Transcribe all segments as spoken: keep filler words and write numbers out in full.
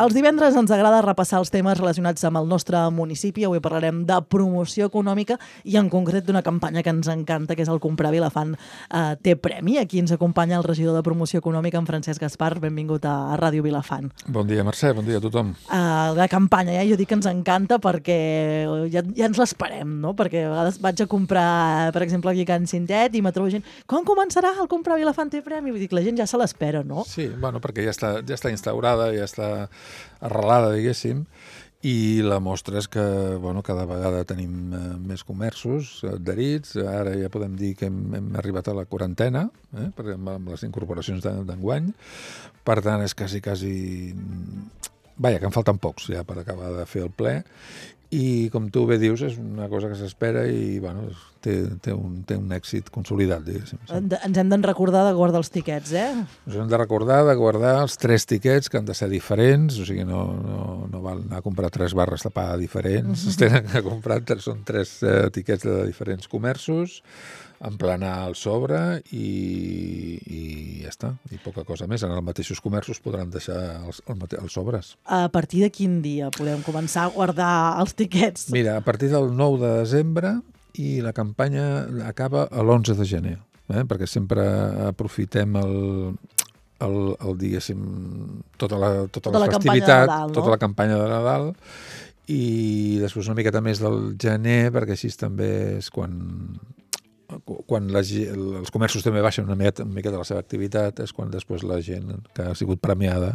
Els divendres ens agrada repassar els temes relacionats amb el nostre municipi. Avui parlarem de promoció econòmica i en concret d'una campanya que ens encanta, que és el Comprar Vilafant eh, té premi. Aquí ens acompanya el regidor de promoció econòmica, en Francesc Gaspar. Benvingut a, a Ràdio Vilafant. Bon dia, Mercè, bon dia a tothom. Uh, la campanya, ja jo dic que ens encanta perquè ja, ja ens l'esperem, no? Perquè a vegades vaig a comprar, per exemple, aquí a Can Cintet i me trobo gent, com començarà el Comprar Vilafant té premi? Vull dir que la gent ja se l'espera, no? Sí, bueno, perquè ja està, ja està instaurada, ja està arrelada, diguéssim, i la mostra és que bueno, cada vegada tenim eh, més comerços adherits. Ara ja podem dir que hem, hem arribat a la quarantena, eh, perquè amb, amb les incorporacions d'enguany. Per tant, és quasi, quasi... Vaja, que en falten pocs ja per acabar de fer el ple. I, com tu bé dius, és una cosa que s'espera i bueno, té, té, un, té un èxit consolidat, diguéssim. Sí. Ens hem de recordar de guardar els tiquets, eh? Ens hem de recordar de guardar els tres tiquets que han de ser diferents, o sigui, no, no, no val anar a comprar tres barres de pa diferents, mm-hmm. es tenen que comprar, són tres eh, tiquets de diferents comerços, emplenar el sobre i, i ja està, i poca cosa més. En els mateixos comerços podran deixar els, els sobres. A partir de quin dia podem començar a guardar els tiquets? Mira, a partir del nou de desembre i la campanya acaba a l'onze de gener, eh? Perquè sempre aprofitem el, el, el diguéssim, tota la, tota tota la, la festivitat, Nadal, no? tota la campanya de Nadal, i després una miqueta més del gener, perquè així també és quan... quan la, els comerços també baixen una miqueta, una miqueta la seva activitat, és quan després la gent que ha sigut premiada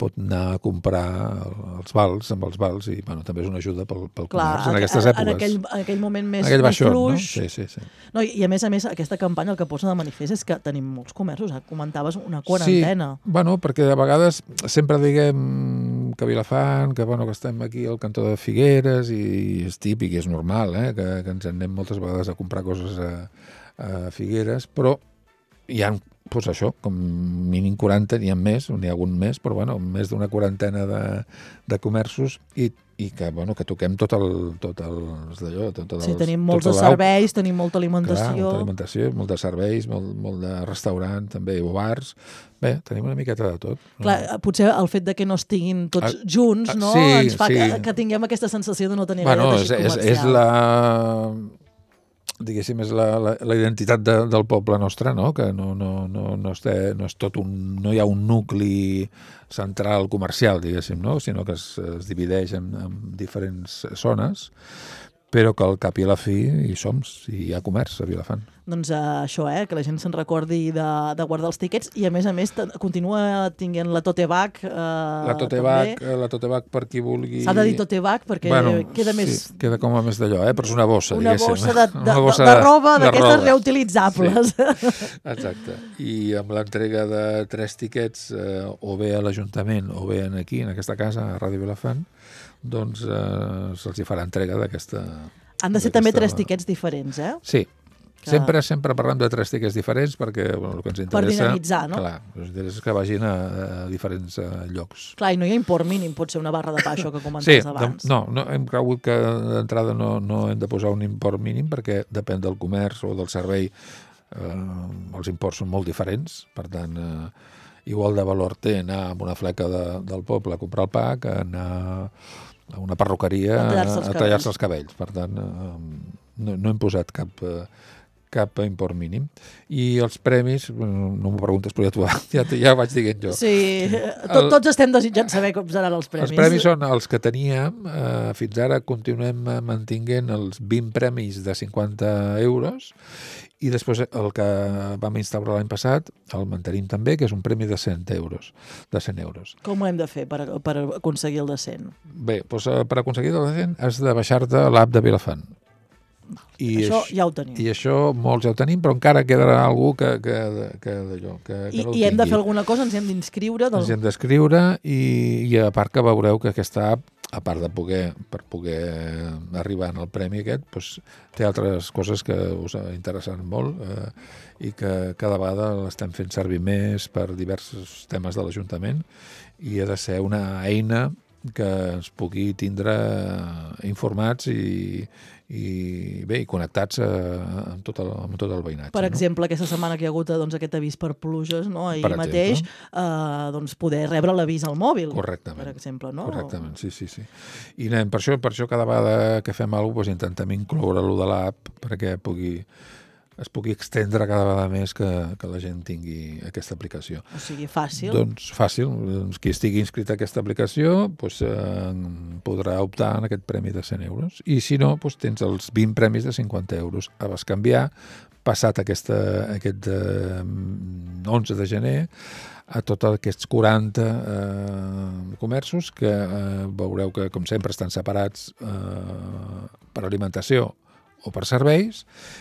pot anar a comprar els vals, amb els vals, i bueno, també és una ajuda pel, pel Clar, comerç en aquestes èpoques. En aquell, en aquell moment més, aquell més baixón, fluix. No? Sí, sí, sí. No, i, I a més a més, aquesta campanya el que posa de manifest és que tenim molts comerços, eh? Comentaves una quarantena. Sí, bueno, perquè de vegades sempre diguem que Vilafant, que, bueno, que estem aquí al cantó de Figueres, i és típic, és normal, eh? que, que ens anem moltes vegades a comprar coses a, a Figueres, però hi ha, doncs això, com mínim quaranta, n'hi ha més, n'hi ha algun més, però bueno, més d'una quarantena de, de comerços i, i que, bueno, que toquem tot el... Tot el d'allò, tot el sí, tenim molts de serveis, tenim molta alimentació. Clar, molta alimentació, molt de serveis, molt, molt de restaurant, també, o bars. Bé, tenim una miqueta de tot. Clar, potser el fet de que no estiguin tots ah, junts, no? Sí, ens fa sí. que, que tinguem aquesta sensació de no tenir bueno, gaire teixit és, comercial. És, és la... diguéssim, és la, la, la identitat de, del poble nostre, no? Que no, no, no, no, és, no és tot un... no hi ha un nucli central comercial, diguéssim, no? Sinó que es, es divideix en, en diferents zones, però que al cap i a la fi hi som, hi ha comerç a Vilafant. Doncs uh, això, eh, que la gent se'n recordi de, de guardar els tiquets i a més a més continua tinguent la tote bag. Uh, la tote bag, la tote bag per qui vulgui... S'ha de dir tote bag perquè bueno, queda més... Sí, queda com a més d'allò, eh? Però és una bossa, una diguéssim. Bossa de, de, una bossa de, de roba, d'aquestes reutilitzables. Sí. Exacte. I amb l'entrega de tres tiquets, eh, o bé a l'Ajuntament o bé aquí, en aquesta casa, a Ràdio Vilafant, doncs eh, se'ls hi farà entrega d'aquesta... Han de ser també tres tiquets diferents, eh? Sí. Que... Sempre, sempre parlem de tres tiquets diferents perquè bueno, el que ens interessa... Per dinamitzar, no? Clar, el que ens interessa és que vagin a, a diferents a, llocs. Clar, i no hi ha import mínim, pot ser una barra de pa, això que comentaves sí, abans. No, no, hem cregut que d'entrada no, no hem de posar un import mínim perquè depèn del comerç o del servei, eh, els imports són molt diferents, per tant, eh, igual de valor té anar a una fleca de, del poble a comprar el pa que anar a una perruqueria a tallar-se els, tallar els cabells. Per tant, eh, no, no hem posat cap... Eh, cap import mínim. I els premis, no m'ho preguntes, però ja t'ho ja, ja vaig dient jo. Sí, Tot, tots estem desitjant saber com seran els premis. Els premis són els que teníem, eh, fins ara continuem mantinguent els vint premis de cinquanta euros i després el que vam instaurar l'any passat el mantenim també, que és un premi de cent euros. De cent euros. Com ho hem de fer per, per aconseguir el de cent? Bé, doncs, per aconseguir el de cent has de baixar-te l'app de Vilafant. I això ja ho tenim. I això molts ja ho tenim, però encara quedarà algú que, que, que, d'allò, que, que I, no ho I hem tingui. de fer alguna cosa, ens hem d'inscriure. Del... Ens hem d'inscriure i, i a part que veureu que aquesta app, a part de poder, per poder arribar al premi aquest, doncs, té altres coses que us interessen molt eh, i que cada vegada l'estem fent servir més per diversos temes de l'Ajuntament i ha de ser una eina que ens pugui tindre informats i, i bé, i connectats a, amb, tot el, amb tot el veïnatge. Per exemple, no? aquesta setmana que hi ha hagut doncs, aquest avís per pluges, no? Ahir per mateix, eh, doncs poder rebre l'avís al mòbil. Correctament. Per exemple, no? Correctament, sí, sí, sí. I anem, per això, per això cada vegada que fem alguna cosa doncs, intentem incloure-lo de l'app perquè pugui es pugui extendre cada vegada més que, que la gent tingui aquesta aplicació. O sigui, fàcil. Doncs fàcil. Doncs, qui estigui inscrit a aquesta aplicació doncs, eh, podrà optar en aquest premi de cent euros. I si no, doncs, tens els vint premis de cinquanta euros a bescanviar, passat aquesta, aquest eh, onze de gener, a tots aquests quaranta eh, comerços que eh, veureu que, com sempre, estan separats eh, per alimentació o per serveis,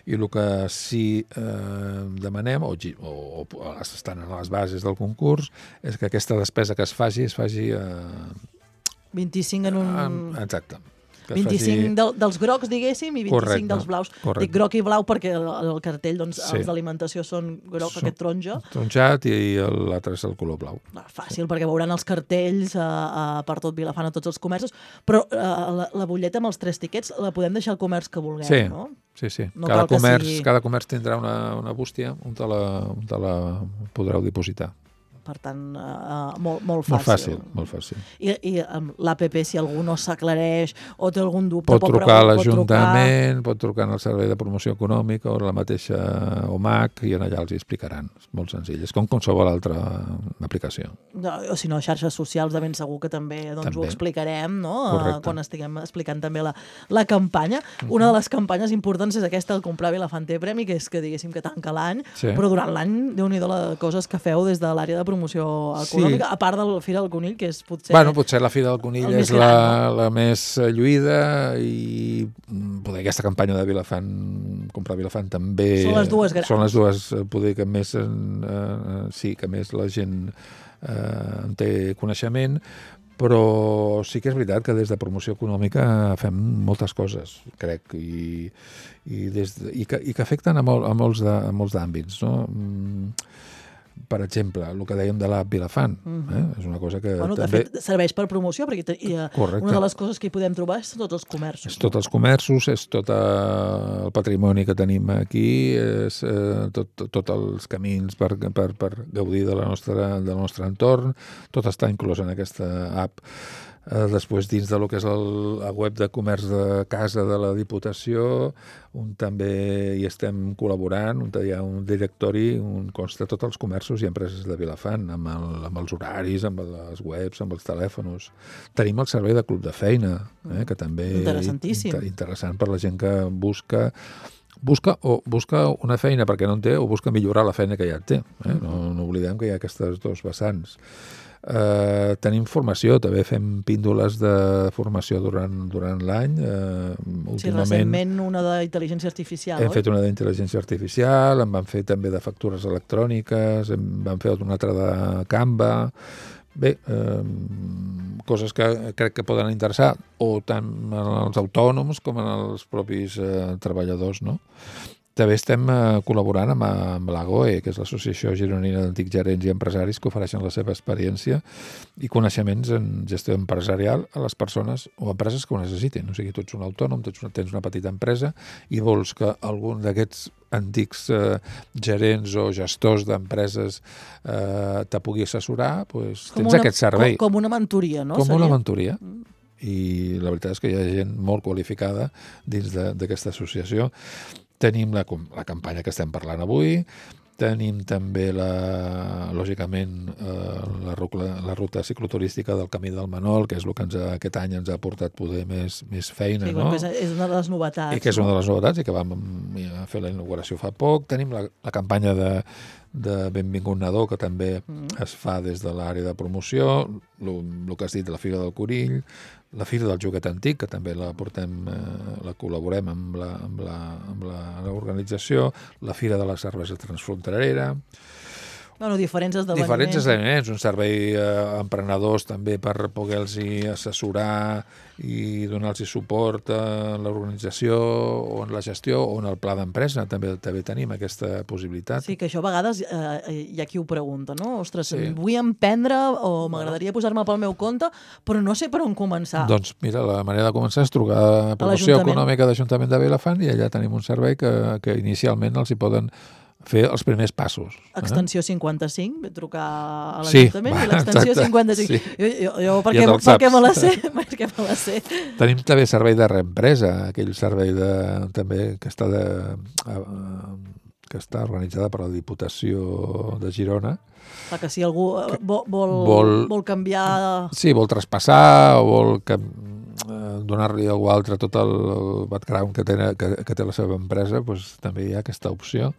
i el que sí eh, demanem, o, o, o estan en les bases del concurs, és que aquesta despesa que es faci, es faci... Eh, vint-i-cinc en un... En, exacte. vint-i-cinc faci... del, dels grocs, diguéssim, i vint-i-cinc correcte, dels blaus. Correcte. Dic groc i blau perquè el, el cartell, doncs, sí. els d'alimentació són groc, són aquest taronja. Taronjat, i l'altre és el color blau. Ah, fàcil, perquè veuran els cartells uh, uh, per tot Vilafant, a tots els comerços, però uh, la, la butlleta amb els tres tiquets la podem deixar al comerç que vulguem, sí. no? Sí, sí. No cada, comerç, sigui... cada comerç tindrà una, una bústia on te, la, on te la podreu dipositar. Per tant, uh, molt, molt fàcil. Molt fàcil, molt fàcil. I, i amb l'A P P, si algú no s'aclareix o té algun dubte... Pot trucar a l'Ajuntament, pot, pot trucar al Servei de Promoció Econòmica o la mateixa O M A C, i allà els hi explicaran. És molt senzill, és com qualsevol altra aplicació. No, o si no, xarxes socials de ben segur que també, doncs, també. Ho explicarem, no? Correcte. Quan estiguem explicant també la, la campanya. Uh-huh. Una de les campanyes importants és aquesta, el comprar Vilafant té premi, que és que diguéssim que tanca l'any, sí. Però durant l'any, Déu-n'hi-do les coses que feu des de l'àrea de promoció econòmica. Sí. A part de la Fira del Conill, que és potser... Bueno, potser la Fira del Conill és gran, la, no? la més lluïda, i poder aquesta campanya de Vilafant, comprar Vilafant també... Són les dues grans. Són les dues, poder que més, eh, sí, que més la gent eh, en té coneixement, però sí que és veritat que des de promoció econòmica fem moltes coses, crec, i, i, des de, i, que, i que afecten a, mol, a molts de, a molts d'àmbits, no? Per exemple, el que dèiem de l'app Vilafant, eh? És una cosa que bueno, també... De fet, serveix per promoció, perquè hi ha una de les coses que hi podem trobar és tots els comerços. És tots els comerços, és tot el patrimoni que tenim aquí, és eh, tot, tot, tot els camins per, per, per gaudir de la nostra, del nostre entorn, tot està inclòs en aquesta app. Eh, després, dins de lo que és el, la web de comerç de casa de la Diputació, on també hi estem col·laborant, on hi ha un directori on consta tots els comerços i empreses de Vilafant, amb, el, amb els horaris, amb les webs, amb els telèfons. Tenim el servei de club de feina, eh, que també... Interessantíssim. Inter, interessant per la gent que busca... Busca o busca una feina perquè no en té, o busca millorar la feina que ja té. Eh? No, no oblidem que hi ha aquestes dos vessants. Uh, tenim formació, també fem píndoles de formació durant, durant l'any. Uh, últimament, sí, recentment una d'intel·ligència artificial, hem oi? fet una d'intel·ligència artificial, en vam fer també de factures electròniques, en vam fer una altra de Canva. Bé, eh, coses que crec que poden interessar o tant als autònoms com als propis eh, treballadors, no? També estem eh, col·laborant amb, amb l'A G O E, que és l'Associació Gironina d'Antics Gerents i Empresaris, que ofereixen la seva experiència i coneixements en gestió empresarial a les persones o empreses que ho necessitin. O sigui, tu ets un autònom, tens una, tens una petita empresa i vols que algun d'aquests antics eh, gerents o gestors d'empreses eh, te pugui assessorar, doncs tens una, aquest servei. Com, com una mentoria, no? Com Seria? una mentoria. Mm. I la veritat és que hi ha gent molt qualificada dins d'aquesta associació. Tenim la, la campanya que estem parlant avui, tenim també, la, lògicament, eh, la, ruta, la ruta cicloturística del Camí del Manol, que és el que ens ha, aquest any ens ha portat poder més, més feina. Sí, no? És, és una de les novetats. I que és una no? de les novetats i que vam fer la inauguració fa poc. Tenim la, la campanya de, de Benvingut Nadó, que també mm. es fa des de l'àrea de promoció, el que has dit de la Fira del Conill, la Fira del Joguet Antic, que també la portem, eh, la col·laborem amb la, amb la, amb la, l'organització, la Fira de la Cervesa Transfronterera, Bueno, diferents esdeveniments. Diferents esdeveniments, un servei a eh, emprenedors també per poder-los assessorar i donar-los suport a l'organització o en la gestió o en el pla d'empresa, també també tenim aquesta possibilitat. Sí, que això a vegades eh, hi ha qui ho pregunta, no? Ostres, sí. vull emprendre o m'agradaria bueno. posar-me pel meu compte, però no sé per on començar. Doncs mira, la manera de començar és trucar a Promoció Econòmica d'Ajuntament de Vilafant i allà tenim un servei que, que inicialment els hi poden fer els primers passos. Extensió eh? cinquanta-cinc, ve trucar a sí, l'Ajuntament i l'extensió cinquanta-cinc. Sí. Jo, jo, jo perquè, ja perquè me la sé, perquè me la sé. Tenim també servei de reempresa, aquell servei de, també que està, de, uh, que està organitzada per la Diputació de Girona. Clar que si algú vol, vol, vol, vol canviar... Sí, vol traspassar o vol que, uh, donar-li a algú altre tot el background que té, que, que té la seva empresa, doncs també hi ha aquesta opció.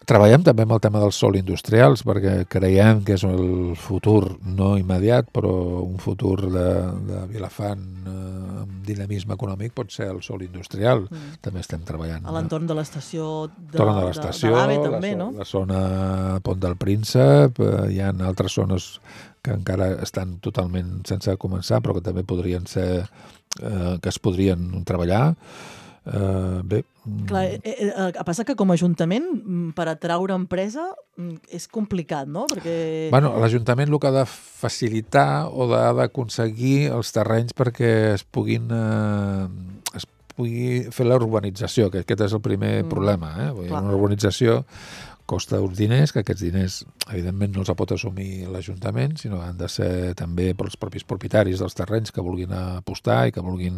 Treballem també amb el tema dels sòl industrials perquè creiem que és el futur no immediat, però un futur de, de Vilafant eh, amb dinamisme econòmic pot ser el sòl industrial. Mm. També estem treballant. A l'entorn de l'estació de, de, de l'estació, de l'AVE també, la, no? La zona Pont del Príncep, eh, hi ha altres zones que encara estan totalment sense començar, però que també podrien ser, eh, que es podrien treballar. Uh, bé. Clar, eh, eh, passa que com a Ajuntament per atraure empresa és complicat, no? Perquè... Bueno, l'Ajuntament el que ha de facilitar o ha d'aconseguir els terrenys perquè es puguin eh, es pugui fer la urbanització, que aquest és el primer mm. problema. Eh? Vull dir, una urbanització costa uns diners, que aquests diners evidentment no els pot assumir l'Ajuntament, sinó que han de ser també pels propis propietaris dels terrenys que vulguin apostar i que vulguin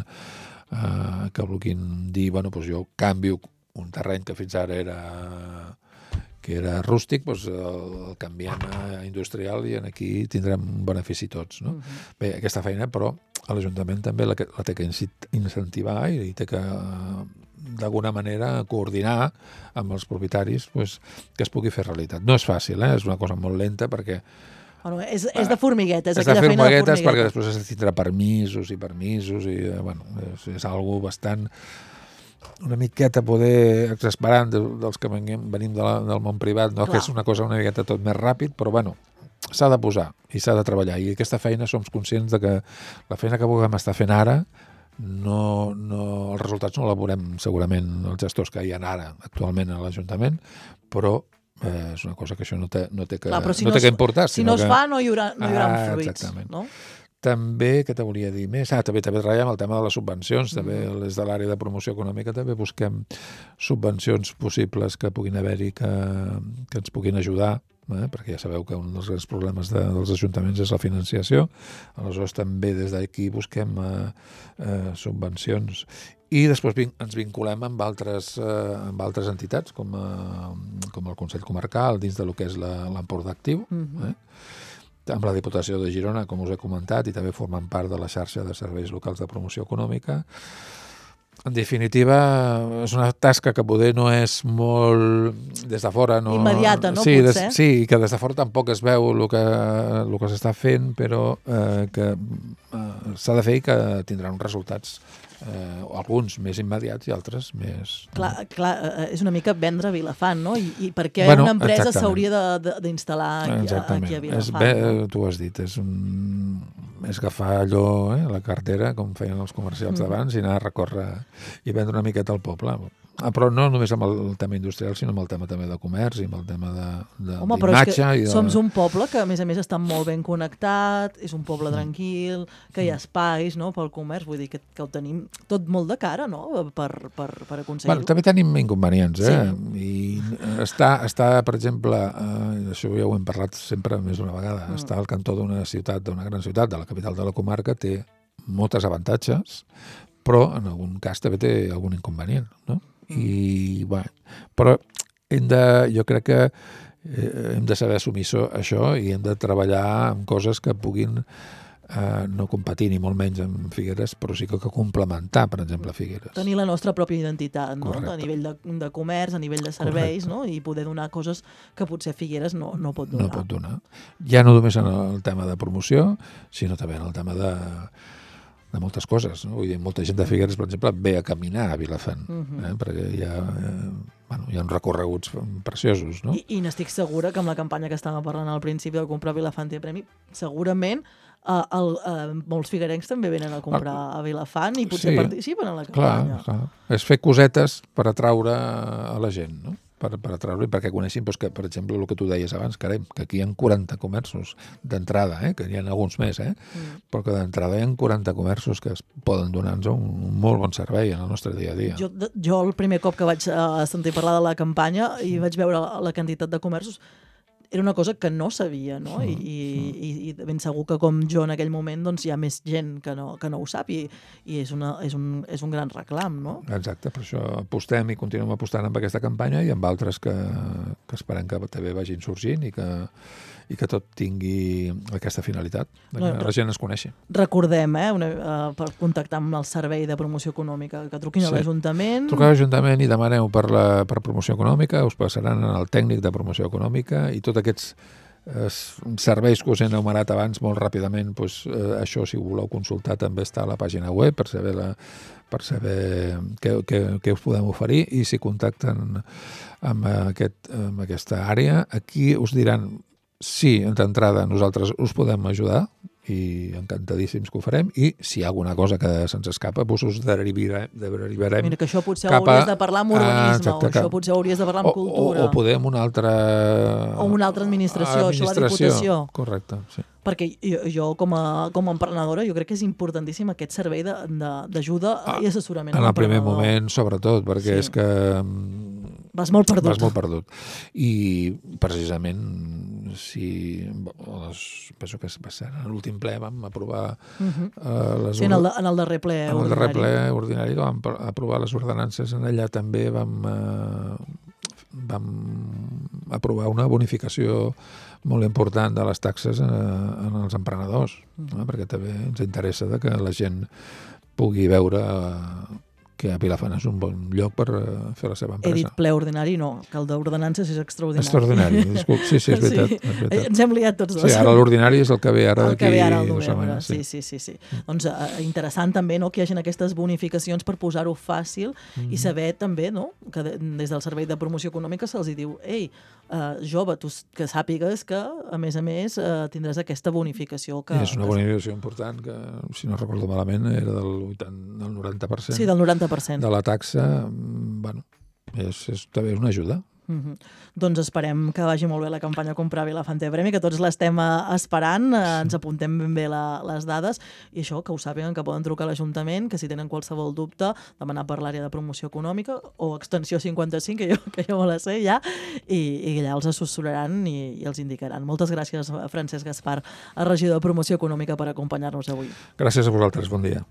Uh, que vulguin dir, bueno, doncs jo canvio un terreny que fins ara era que era rústic, doncs el, el canviem a industrial i aquí tindrem un benefici tots, no? Uh-huh. Bé, aquesta feina, però a l'Ajuntament també la, la té que incentivar i té que d'alguna manera coordinar amb els propietaris doncs, que es pugui fer realitat. No és fàcil, eh? És una cosa molt lenta perquè Bueno, és, és de formiguetes, és aquella de feina de formiguetes perquè després has de tindre permisos i permisos i, bueno, és, és algo bastant una miqueta poder exasperant dels que venim, venim de la, del món privat, no? Que és una cosa una miqueta tot més ràpid, però bueno, s'ha de posar i s'ha de treballar i aquesta feina som conscients de que la feina que puguem estar fent ara no, no, els resultats no la veurem segurament els gestors que hi ha ara actualment a l'Ajuntament, però Eh, és una cosa que això no té, no té, que, Clar, si no no té que importar. Si no es que... fa, no hi haurà, no hi haurà ah, fruits. Exactament. No? També, què te volia dir més? Ah, també, també treballem el tema de les subvencions, mm. també des de l'àrea de promoció econòmica també busquem subvencions possibles que puguin haver-hi que, que ens puguin ajudar, eh? Perquè ja sabeu que un dels grans problemes de, dels ajuntaments és la financiació, aleshores també des d'aquí busquem eh, eh, subvencions. I després vin- ens vinculem amb altres, eh, amb altres entitats, com, eh, com el Consell Comarcal, dins de lo que és la, l'Empordà Actiu, mm-hmm. eh? amb la Diputació de Girona, com us he comentat, i també formen part de la xarxa de serveis locals de promoció econòmica. En definitiva, és una tasca que poder no és molt des de fora. No... Immediata, no? Sí, Potser? des, sí, que des de fora tampoc es veu el que, el que s'està fent, però eh, que eh, s'ha de fer i que tindrà uns resultats Eh, alguns més immediats i altres més... Clar, clar, és una mica vendre Vilafant, no? I, i per què bueno, una empresa exactament. s'hauria d'instal·lar aquí, aquí a Vilafant? És bé, no? Tu has dit, és, un, és agafar allò, eh, la cartera, com feien els comercials mm. d'abans, i anar a recórrer i vendre una miqueta al poble. Ah, però no només amb el tema industrial, sinó amb el tema també de comerç i amb el tema de, de, Home, però és que i de... som un poble que, a més a més, està molt ben connectat, és un poble tranquil, que hi ha espais, no?, pel comerç, vull dir que, que ho tenim tot molt de cara, no?, per, per, per aconseguir-ho. Bueno, també tenim inconvenients, eh? Sí. I està, està, per exemple, eh, això ja ho hem parlat sempre més d'una vegada, mm. està al cantó d'una ciutat, d'una gran ciutat, de la capital de la comarca, té moltes avantatges, però en algun cas també té algun inconvenient, no? I, bueno, però hem de, jo crec que eh, hem de saber assumir això, això i hem de treballar amb coses que puguin eh, no competir ni molt menys amb Figueres, però sí que, que complementar, per exemple, Figueres. Tenir la nostra pròpia identitat, no? Correcte. A nivell de, de comerç, a nivell de serveis, no? I poder donar coses que potser Figueres no, no pot donar. No pot donar. Ja no només en el tema de promoció, sinó també en el tema de de moltes coses, no? Vull dir, molta gent de Figueres, per exemple, ve a caminar a Vilafant, uh-huh. eh? Perquè hi ha, eh, bueno, hi ha uns recorreguts preciosos, no? I, i n'estic segura que amb la campanya que estàvem parlant al principi del comprar Vilafant té premi, segurament uh, el, uh, molts figuerencs també venen a comprar a Vilafant i potser sí, participen en la campanya. Clar, clar. És fer cosetes per atraure a la gent, no? Per, per atraure-li, perquè coneixin doncs, que, per exemple, el que tu deies abans, caram, que aquí hi ha quaranta comerços d'entrada, eh? Que hi ha alguns més, eh? Mm. Però que d'entrada hi ha quaranta comerços que es poden donar-nos un, un molt bon servei en el nostre dia a dia. Jo, jo el primer cop que vaig uh, sentir parlar de la campanya i vaig veure la, la quantitat de comerços, era una cosa que no sabia, no? Mm. I, i, i ben segur que com jo en aquell moment doncs, hi ha més gent que no, que no ho sap i, i és, una, és, un, és un gran reclam, no? Exacte, per això apostem i continuem apostant amb aquesta campanya i amb altres que, que esperem que també vagin sorgint i que, i que tot tingui aquesta finalitat, que no, la gent es coneixi. Recordem, eh, una, uh, per contactar amb el Servei de Promoció Econòmica, que truquin sí. a l'Ajuntament. Truqueu a l'Ajuntament i demaneu per, la, per promoció econòmica, us passaran al tècnic de promoció econòmica i tot aquests eh, serveis que us he enumerat abans molt ràpidament, doncs, eh, això si ho voleu consultar també està a la pàgina web per saber, la, per saber què, què, què us podem oferir i si contacten amb, aquest, amb aquesta àrea, aquí us diran sí, d'entrada nosaltres us podem ajudar i encantadíssims que ho farem i si hi ha alguna cosa que se'ns escapa doncs us derivarem, derivarem Mira, que això potser ho hauries de parlar amb urbanisme ah, exacte, o això cap... potser ho hauries de parlar amb o, cultura o, o podem una altra o una altra administració, administració. Això la Diputació correcte, sí. Perquè jo, jo com, a, com a emprenedora jo crec que és importantíssim aquest servei d'ajuda ah, i assessorament en el primer moment sobretot perquè sí. és que vas molt perdut. Vas molt perdut. I precisament si les, penso que va ser en l'últim ple vam aprovar uh-huh. uh, les sí, en el, en el darrer ple en ordinari. el darrer ple ordinari vam aprovar les ordenances en allà també vam uh, vam aprovar una bonificació molt important de les taxes uh, en els emprenedors, uh-huh. no? Perquè també ens interessa de que la gent pugui veure uh, que a Vilafant és un bon lloc per fer la seva empresa. He dit ple ordinari, no, que el d'ordenances és extraordinari. Extraordinari, disculp. Sí, sí, és veritat. Sí. És veritat. Ens hem liat tots dos. Sí, ara l'ordinari és el que ve ara d'aquí dues setmanes. Sí, sí, sí. sí. Mm. Doncs eh, interessant també no, que hi hagi aquestes bonificacions per posar-ho fàcil mm. i saber també no, que de, des del Servei de Promoció Econòmica se'ls diu ei, uh, jove, tu que sàpigues que, a més a més, uh, tindràs aquesta bonificació. Que, és una bonificació important que, si no recordo malament, era del, vuitanta, del noranta per cent. Sí, del noranta per cent. De la taxa, bueno, és, és, també és una ajuda. Mm-hmm. Doncs esperem que vagi molt bé la campanya Comprar Vilafant té premi, que tots l'estem esperant, eh, ens apuntem ben bé la, les dades i això, que ho sàpiguen, que poden trucar a l'Ajuntament, que si tenen qualsevol dubte, demanar per l'àrea de promoció econòmica o extensió cinquanta-cinc, que jo, que jo me la sé ja, i, i allà els assessoraran i, i els indicaran. Moltes gràcies, Francesc Gaspar, regidor de Promoció Econòmica, per acompanyar-nos avui. Gràcies a vosaltres, bon dia.